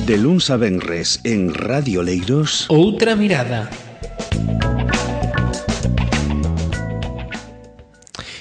De luns a venres en Radio Oleiros. Outra mirada.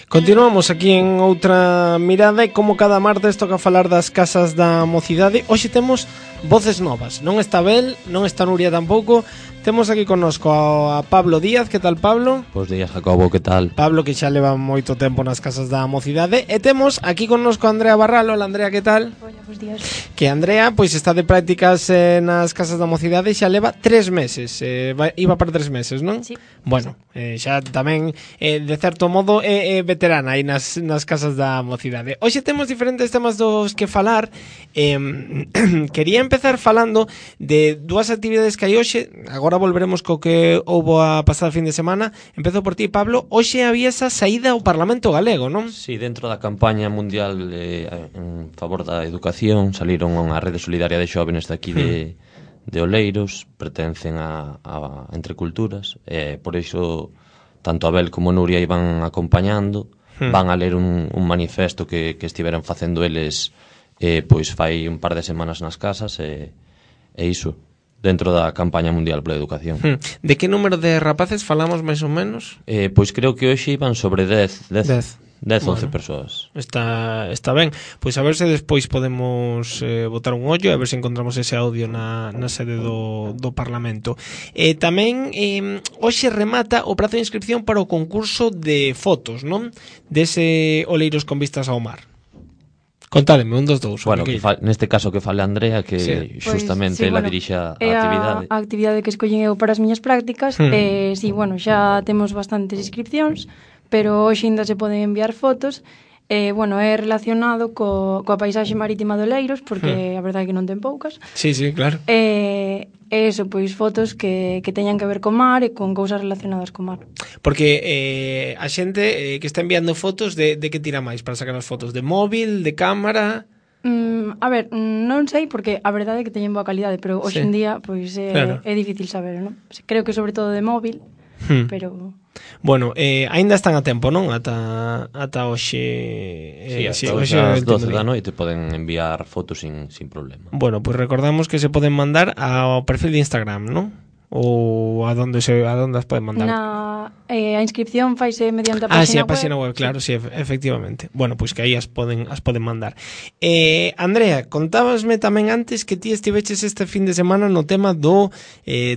Continuamos aquí en Outra Mirada e como cada martes toca falar das casas da mocidade. Hoxe temos voces novas. Non está Bel, non está Nuria tampouco. Temos aquí connosco a Pablo Díaz. Que tal, Pablo? Bos días, Jacobo, que tal? Pablo, que xa leva moito tempo nas casas da mocidade. E temos aquí connosco a Andrea Barral. Hola, Andrea, que tal? Hola, bos días. Que Andrea, pois está de prácticas nas casas da mocidade e xa leva 3 meses. Iba para 3 meses, non? Sí. Bueno, xa tamén, de certo modo, é veterana aí nas casas da mocidade. Hoxe temos diferentes temas dos que falar. Quería empezar falando de dúas actividades que hai hoxe. Agora volveremos co que houbo a pasada fin de semana. Empezo por ti, Pablo. Hoxe había esa saída ao Parlamento Galego, non? Sí, dentro da campaña mundial en favor da educación saliron unha rede solidaria de xóvenes de aquí de Oleiros, pertencen a Entre Culturas, por iso tanto Abel como Nuria iban acompañando, van a ler un manifesto que estiveran facendo eles pois fai un par de semanas nas casas e iso dentro da campaña mundial pola educación. De que número de rapaces falamos máis ou menos? Pois creo que hoxe iban sobre 10, 11 persoas. Está ben. Pois a ver se despois podemos botar un ollo, a ver se encontramos ese audio na sede do Parlamento. Tamén hoxe remata o prazo de inscripción para o concurso de fotos, non? Dese Oleiros con vistas ao mar. Contádeme, un dos dous. Bueno, neste caso que fale Andrea, que sí, justamente ela dirixa a actividade. A actividade que escollen eu para as miñas prácticas. Sí, bueno, xa temos bastantes inscripcións, pero hoxe ainda se poden enviar fotos. Bueno, é relacionado coa paisaxe marítima de Oleiros, porque a verdade é que non ten poucas. Sí, claro. Eso, pois fotos que teñan que ver co mar e con cousas relacionadas co mar. Porque a xente que está enviando fotos de que tira máis para sacar as fotos? De móvil, de cámara? A ver, non sei, porque a verdade é que teñen boa calidade, pero hoxe en día pois claro, é difícil saber, non? Creo que sobre todo de móvil, pero... Bueno, aínda están a tempo, non? Ata hoxe... Sí, hoxe ás 12 da noite poden enviar fotos sin problema. Bueno, pois recordamos que se poden mandar ao perfil de Instagram, non? Ou a donde as poden mandar? A inscripción faise mediante a página web. Sí, a página web, claro, sí, efectivamente. Bueno, pois que aí as poden mandar. Andrea, contábasme tamén antes que ti estiveches este fin de semana no tema do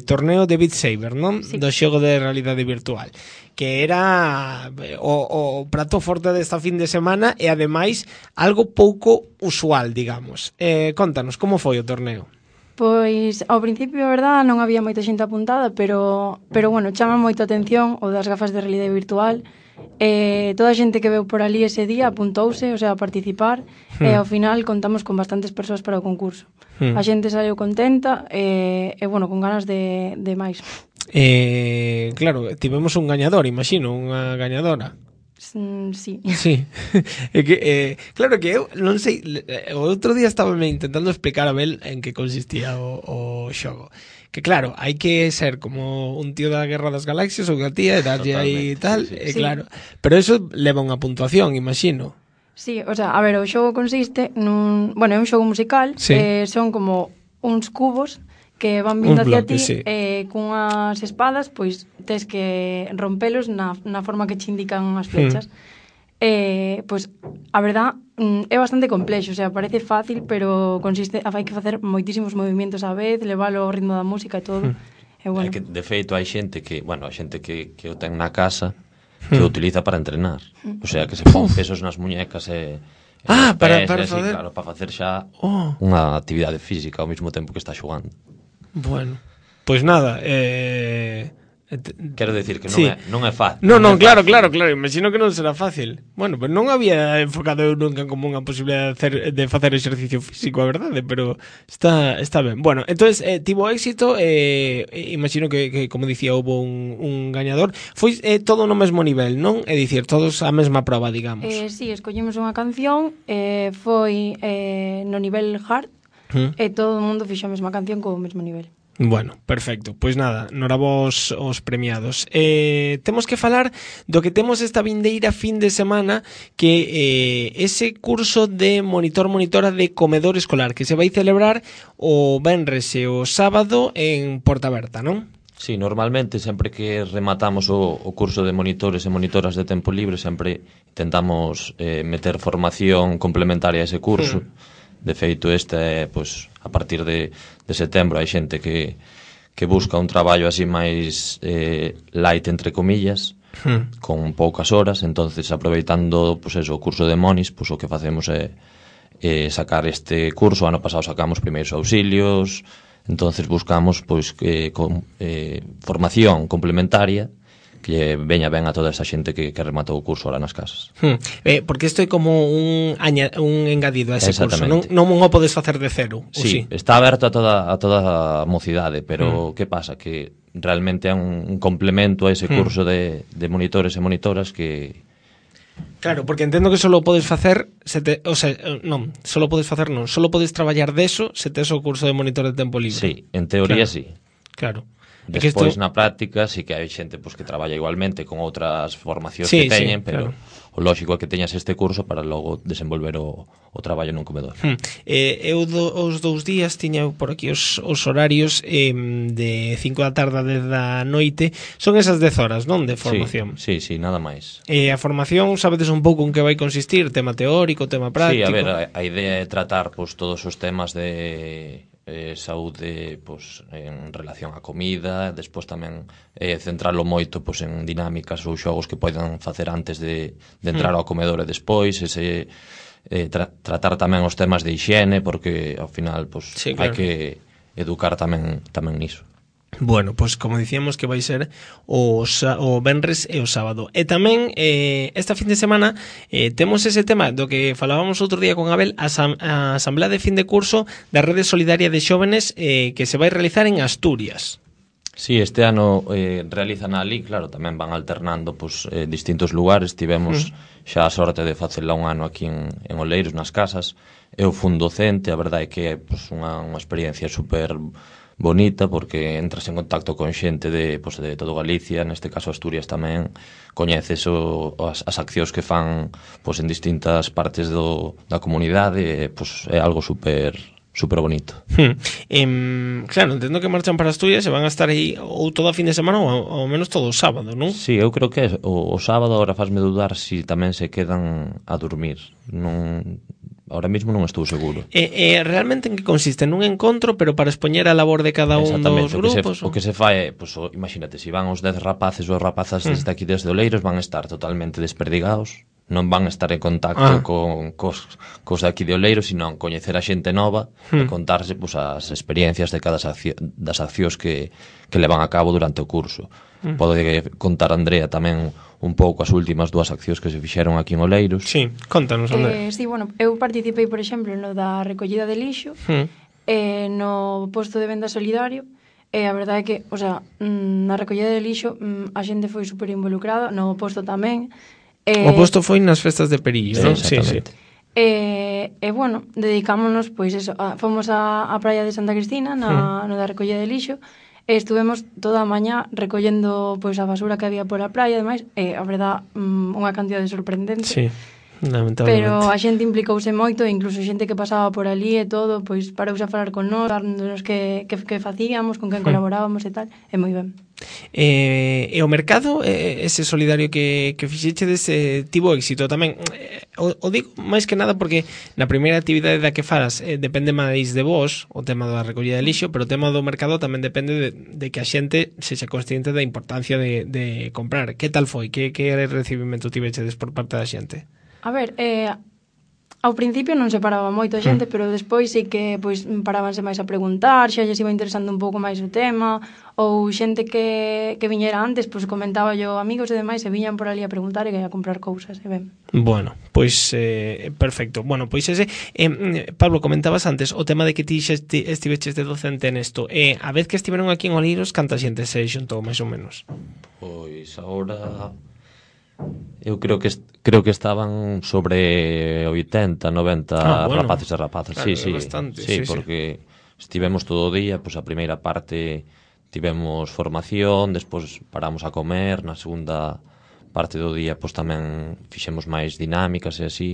torneo de Beat Saber, non? Sí. Do xogo de realidade virtual, que era o prato forte desta fin de semana e ademais algo pouco usual, digamos. Contanos, como foi o torneo? Pois, ao principio, a verdade, non había moita xente apuntada, pero bueno, chama moito a atención o das gafas de realidade virtual. Toda a xente que veu por ali ese día apuntouse, o sea, a participar, e ao final contamos con bastantes persoas para o concurso. A xente saiu contenta e bueno, con ganas de máis. Claro, tivemos un gañador, imagino, unha gañadora. Sí. É que, claro que eu non sei, o outro día estaba intentando explicar a Bel en que consistía o xogo. Que claro, hai que ser como un tío da Guerra das Galaxias ou que a tía e darlle aí tal, claro. Pero eso leva unha puntuación, imagino. Sí, o sea, a ver, o xogo consiste bueno, é un xogo musical, son como uns cubos que van vindo hacia ti cunhas espadas, pois tes que rompelos na forma que che indican as flechas. Pois a verdad é bastante complexo, o sea, parece fácil, pero consiste hai que facer moitísimos movimentos á vez, levalo ao ritmo da música e todo. Bueno. É que de feito hai xente que, bueno, a xente que o ten na casa que o utiliza para entrenar. O sea, que se pon pesos nas muñecas e para facer, claro, para facer xa unha actividade física ao mesmo tempo que está xogando. Bueno, pois nada, quero decir que non é fácil. Non, claro, imagino que non será fácil. Bueno, pero non había enfocado eu nunca como unha posibilidade de facer exercicio físico, a verdade, pero está ben. Bueno, entonces tivo éxito, imagino que como dicía, houve un gañador. Foi todo no mesmo nivel, non? É dicir, todos a mesma proba, digamos. Sí, escollemos unha canción, foi no nivel hard, e todo o mundo fixo a mesma canción co mesmo nivel. Bueno, perfecto. Pois nada, norabos os premiados. Temos que falar do que temos esta vindeira fin de semana, que ese curso de monitora de comedor escolar que se vai celebrar o venres e o sábado en Porta Aberta, non? Sí, normalmente sempre que rematamos o curso de monitores e monitoras de tempo libre sempre intentamos meter formación complementaria a ese curso. De feito, pois, a partir de setembro hai xente que busca un traballo así máis light, entre comillas, con poucas horas. Entonces, aproveitando pois eso, o curso de Monis, pois o que facemos é sacar este curso. O ano pasado sacamos primeiros auxilios. Entonces buscamos pois formación complementaria que veña ben a toda esa xente que rematou o curso ahora nas casas. Porque isto é como un engadido a ese curso, non o podes facer de cero. Sí, está aberto a toda a mocidade, pero que pasa? Que realmente é un complemento a ese curso de monitores e monitoras que... Claro, porque entendo que solo podes facer solo podes traballar deso se tes o curso de monitor de tempo libre. Sí, en teoría sí. Claro. Despois, na práctica, sí que hai xente que traballa igualmente con outras formacións que teñen, pero o lógico é que teñas este curso para logo desenvolver o traballo nun comedor. Eu os 2 días tiña por aquí os horarios de 5 da tarde a 10 da noite. Son esas 10 horas, non? De formación. Sí, nada máis. A formación, sabedes un pouco en que vai consistir? Tema teórico, tema práctico? Sí, a ver, a idea é tratar todos os temas de... saúde en relación á comida, despois tamén centralo moito en dinámicas ou xogos que poidan facer antes de entrar ao comedor e despois, tratar tamén os temas de hixiene, porque ao final hai que educar tamén niso. Bueno, pois como dicíamos que vai ser o venres e o sábado. E tamén esta fin de semana temos ese tema do que falábamos outro día con Abel, a asamblea de fin de curso da Rede Solidaria de Xóvenes que se vai realizar en Asturias. Sí, este ano realizan ali, claro, tamén van alternando distintos lugares. Tivemos xa a sorte de facela un ano aquí en Oleiros, nas casas. Eu fun docente, a verdade é que é unha experiencia super bonita, porque entras en contacto con xente de todo Galicia, neste caso Asturias tamén, coñeces as accións que fan en distintas partes da comunidade, é algo super bonito. Claro, entendo que marchan para Asturias e van a estar aí ou toda a fin de semana ou ao menos todo o sábado, non? Sí, eu creo que o sábado agora fasme dudar si tamén se quedan a dormir. Ahora mismo non estou seguro. Realmente en que consiste? Nun encontro, pero para expoñer a labor de cada un dos grupos? O que se fai é, imagínate, se van os 10 rapaces ou rapazas desde aquí desde Oleiros, van a estar totalmente desperdigados, non van a estar en contacto cos de aquí de Oleiros, sino coñecer a xente nova e contarse as experiencias de cada das accións que levan a cabo durante o curso. Pode contar Andrea tamén un pouco as últimas 2 accións que se fixeron aquí en Oleiros. Sí, contanos, Andrea. Sí, bueno, eu participei, por exemplo, no da recollida de lixo, no posto de venda solidario, e a verdade é que, na recollida de lixo a xente foi super involucrada, no posto tamén. O posto foi nas festas de Perillo, non? Sí. Bueno, dedicámonos, fomos á praia de Santa Cristina, no da recollida de lixo, e estuvemos toda a mañá recollendo a basura que había pola praia, ademais, a verdad, unha cantidade sorprendente. Sí, lamentablemente. Pero a xente implicouse moito, e incluso xente que pasaba por ali e todo, parouse a falar con nós, dándonos que facíamos, con quen colaborábamos e tal, e moi ben. E o mercado, ese solidario que fixechedes, tivo éxito tamén. O digo máis que nada porque na primeira actividade da que falas depende máis de vos, o tema da recollida de lixo, pero o tema do mercado tamén depende de que a xente sexa consciente da importancia de comprar. Que tal foi? Que recibimento tivechedes por parte da xente? A ver, ao principio non se paraba moito a xente, pero despois sí que parábanse máis a preguntar, xa lles iba interesando un pouco máis o tema, ou xente que viñera antes, comentaba yo amigos e demais, e viñan por ali a preguntar e a comprar cousas, e ben. Bueno, perfecto. Bueno, Pablo, comentabas antes o tema de que ti xa estiveches de docente nesto. A vez que estiveron aquí en Oleiros, canta xente se xuntou, máis ou menos? Pois agora... Eu creo que estaban sobre 80, 90 rapaces e rapazas. Claro, sí, bastante, sí, porque estivemos todo o día, pois a primeira parte tivemos formación, despois paramos a comer, na segunda parte do día pois tamén fixemos máis dinámicas e así.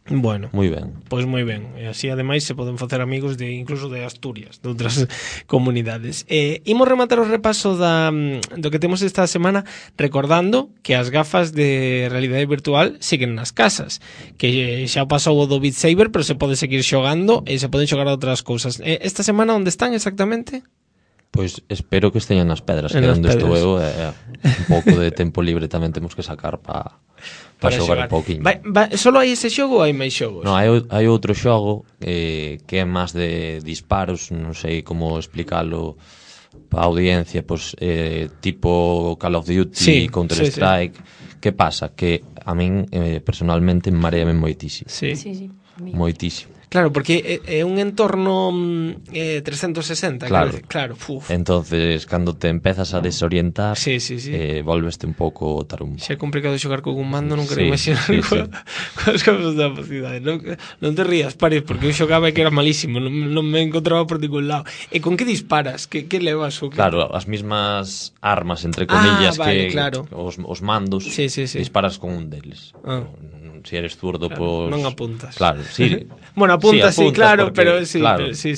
Bueno, moi ben. Pois moi ben, e así ademais se poden facer amigos incluso de Asturias, de outras comunidades. Imos rematar o repaso do que temos esta semana recordando que as gafas de realidade virtual siguen nas casas, que xa pasou o do Beat Saber, pero se pode seguir xogando e se poden xogar a outras cousas. Esta semana onde están exactamente? Pois espero que esteñan nas pedras, que onde estou eu un pouco de tempo libre tamén temos que sacar para xogar un pouquinho. Solo hai ese xogo ou hai máis xogos? Non, hai outro xogo que é máis de disparos, non sei como explicarlo para a audiencia, pois tipo Call of Duty, Counter-Strike. Que pasa? Que a min personalmente mareame moitísimo. Sí. Moitísimo. Claro, porque é un entorno 360, claro. Entonces, cando te empezas a desorientar, volveste un pouco tarum. Xa é complicado xogar con un mando, non quero imaginar coas cousas da velocidade. Non te rías, Paris, porque eu xogaba e que era malísimo, non me encontraba por ningún lado. E con que disparas? Que levas? Claro, as mismas armas, entre comillas, os mandos, disparas con un deles. Si eres zurdo, pois... Non apuntas. Claro, sí. Bueno, apuntas, sí, claro, porque, pero sí, claro. Sí.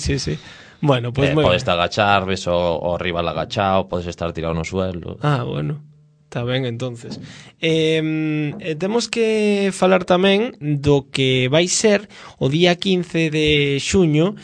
Bueno, pues podes te agachar, ves o rival agachado, podes estar tirado no suelo. Bueno. Está ben, entonces. Temos que falar tamén do que vai ser o día 15 de xuño,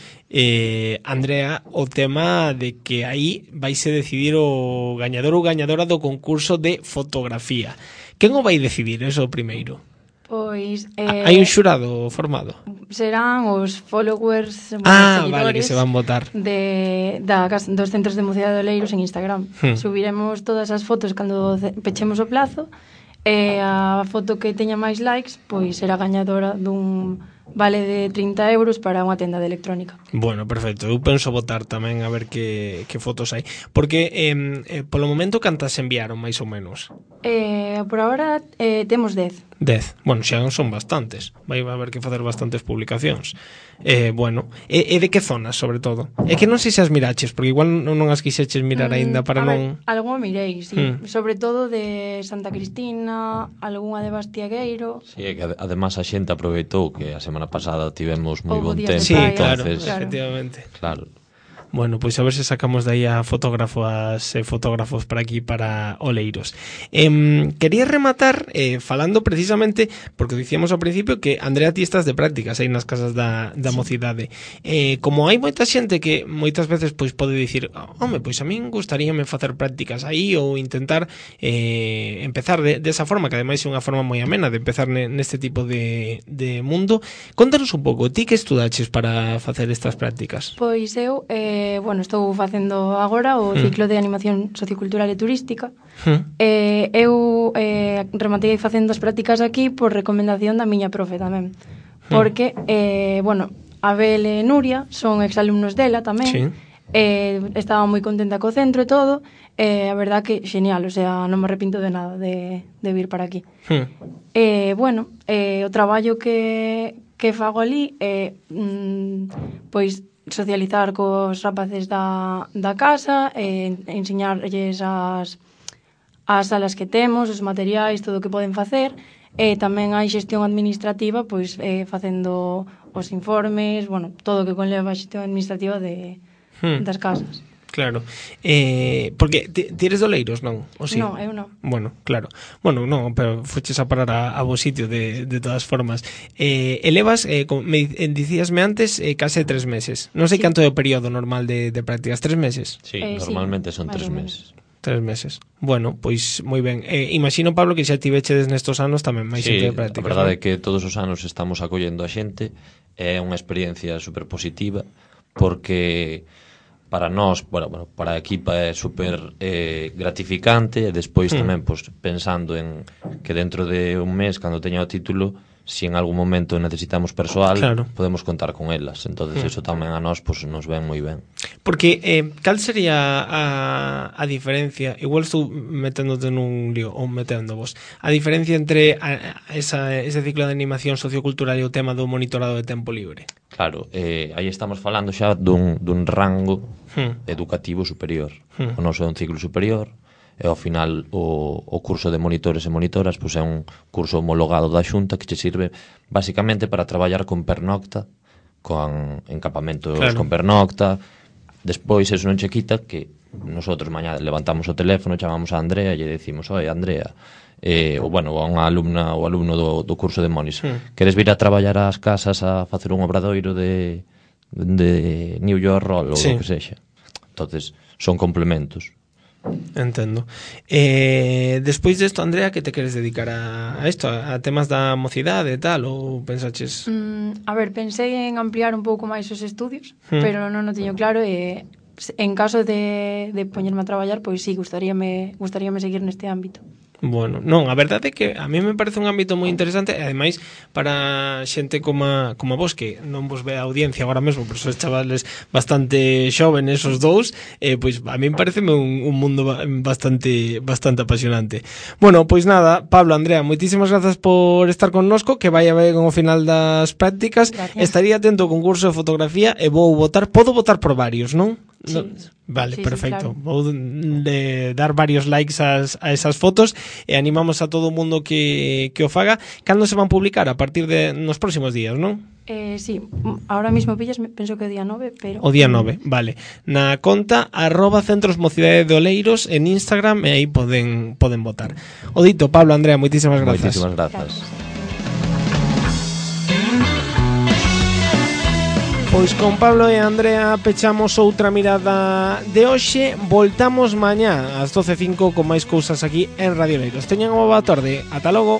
Andrea, o tema de que aí vaise decidir o gañador ou gañadora do concurso de fotografía. Quen o vai decidir, eso primeiro? Pois hai un xurado formado. Serán os followers, vale, que se van votar dos centros de Mocidade de Oleiros en Instagram. Subiremos todas as fotos cando pechemos o plazo, e a foto que teña máis likes pois será gañadora dun vale de 30 euros para unha tenda de electrónica. Bueno, perfecto. Eu penso votar tamén a ver que fotos hai. Porque polo momento cantas enviaron máis ou menos? Por agora temos 10. 10. Bueno, xa son bastantes. Vai haber que facer bastantes publicacións. Bueno, e de que zonas, sobre todo? É que non sei se as miraches, porque igual non as quixeches mirar aínda para non... Algo mirei, sí. Sobre todo de Santa Cristina, algunha de Bastiagueiro. Sí, é que además a xente aproveitou que a semana pasada tivemos moi bon tempo. Sí, claro, efectivamente. Claro. Bueno, pois a ver se sacamos de aí a fotógrafos para aquí, para Oleiros. Quería rematar falando precisamente, porque dicíamos ao principio que Andrea, ti estás de prácticas aí nas casas da mocidade. Como hai moita xente que moitas veces pois pode dicir, home, pois a min gustaríame facer prácticas aí ou intentar empezar desa forma, que ademais é unha forma moi amena de empezar neste tipo de mundo. Contanos un pouco, ti que estudaches para facer estas prácticas? Pois eu estou facendo agora o ciclo de animación sociocultural e turística. Eu rematei facendo as prácticas aquí por recomendación da miña profe tamén. Porque, Abel e Nuria son exalumnos dela tamén. Estaba moi contenta co centro e todo. A verdad que genial, o sea, non me arrepinto de nada de vir para aquí. O traballo que fago ali é pois socializar cos rapaces da casa, enseñarlles as salas que temos, os materiais, todo o que poden facer, e tamén hai xestión administrativa, pois facendo os informes, todo o que conleva a xestión administrativa das casas. Claro, porque ti eres de Oleiros, non? O sí? Non, eu non. Bueno, claro. Bueno, non, pero foches a parar a vos sitio de todas formas. Elevas, dicíasme antes, case 3 meses. Non sei canto é o período normal de prácticas, 3 meses? Sí, normalmente son 3 meses. 3 meses. Bueno, pois moi ben. Imagino, Pablo, que xa tivechedes nestos anos tamén máis xente de prácticas. Sí, a verdade é que todos os anos estamos acollendo a xente. É unha experiencia super positiva, porque para nós, para a equipa é super gratificante, e despois tamén pensando en que dentro de un mes, cando teña o título, si en algún momento necesitamos persoal, claro, podemos contar con elas. Entonces eso tamén a nós pues, nos ven moi ben. Porque cal sería a diferencia, igual estou meténdote nun lío, ou meténdovos, a diferencia entre ese ciclo de animación sociocultural e o tema do monitorado de tempo libre? Claro, aí estamos falando xa dun rango educativo superior. O noso é un ciclo superior, e ao final o curso de monitores e monitoras pois é un curso homologado da Xunta que che sirve basicamente para traballar con pernocta, con encapamentos, claro, con pernocta. Despois eso non che quita que nosotros mañá levantamos o teléfono, chamamos a Andrea e lle decimos: "Oi, Andrea, ou bueno, a unha alumna ou alumno do curso de Monis, queres vir a traballar ás casas a facer un obradoiro de New York Roll ou o que sexa?" Entonces, son complementos. Entendo. Despois desto, Andrea, que te queres dedicar a isto, a temas da mocidade e tal, ou pensaches? A ver, pensei en ampliar un pouco máis os estudios, pero non o teño claro e en caso de poñerme a traballar, pois sí, gustaríame seguir neste ámbito. Bueno, non, a verdade é que a mí me parece un ámbito moi interesante e ademais para xente como vos que non vos ve a audiencia agora mesmo, pero sois chavales bastante xóvenes os dous, pois a mí me parece un mundo bastante apasionante. Bueno, pois nada, Pablo, Andrea, moitísimas grazas por estar connosco, que vai haber ao final das prácticas. Gracias. Estaría atento ao concurso de fotografía e podo votar por varios, non? Sí. Vale, sí, perfecto. Sí, claro. Vou dar varios likes a esas fotos e animamos a todo o mundo que o faga. Cando se van publicar? A partir de nos próximos días, non? Sí, ahora mismo pillas, penso que o día 9, pero... O día 9, vale. Na conta @Centros Mocidade de Oleiros en Instagram e aí poden votar. O dito, Pablo, Andrea, moitísimas grazas. Moitísimas grazas. Pois con Pablo e Andrea pechamos outra mirada de hoxe. Voltamos mañá ás 12:05 con máis cousas aquí en Radio Oleiros. Teñan unha boa tarde. Ata logo.